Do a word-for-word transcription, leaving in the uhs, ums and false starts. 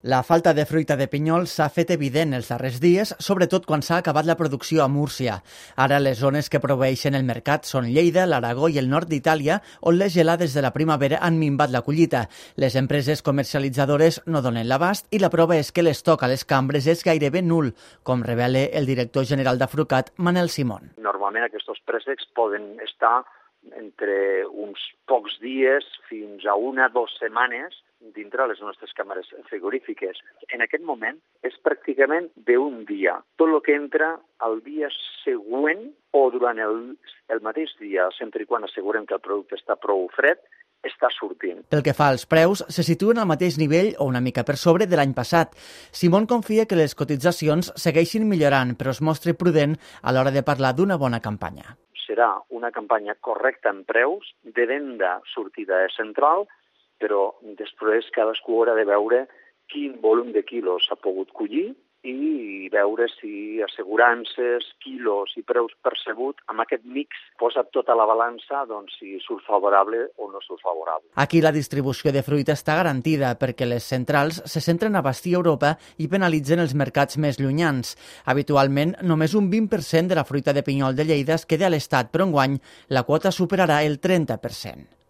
La falta de fruita de pinyol s'ha fet evident els darrers dies, sobretot quan s'ha acabat la producció a Múrcia. Ara les zones que proveeixen el mercat són Lleida, l'Aragó i el nord d'Itàlia, on les gelades de la primavera han minvat la collita. Les empreses comercialitzadores no donen l'abast i la prova és que l'estoc a les cambres és gairebé nul, com revela el director general d'Afrucat, Manel Simón. Normalment aquests préssecs poden estar entre uns pocs dies fins a una o dues setmanes dintre les nostres càmeres frigorífiques. En aquest moment és pràcticament d'un dia. Tot el que entra al dia següent o durant el, el mateix dia, sempre i quan assegurem que el producte està prou fred, està sortint. Pel que fa als preus, se situen al mateix nivell o una mica per sobre de l'any passat. Simón confia que les cotitzacions segueixin millorant, però es mostra prudent a l'hora de parlar d'una bona campanya. Serà una campanya correcta en preus, de venda sortida central, però després cadascú haurà de veure quin volum de quilos s'ha pogut collir i veure si assegurances, quilos i preus percebut amb aquest mix posa tot a la balança, doncs si surt favorable o no surt favorable. Aquí la distribució de fruita està garantida perquè les centrals se centren a abastir Europa i penalitzen els mercats més llunyans. Habitualment, només un vint per cent de la fruita de pinyol de Lleida es queda a l'Estat, però enguany la quota superarà el trenta per cent.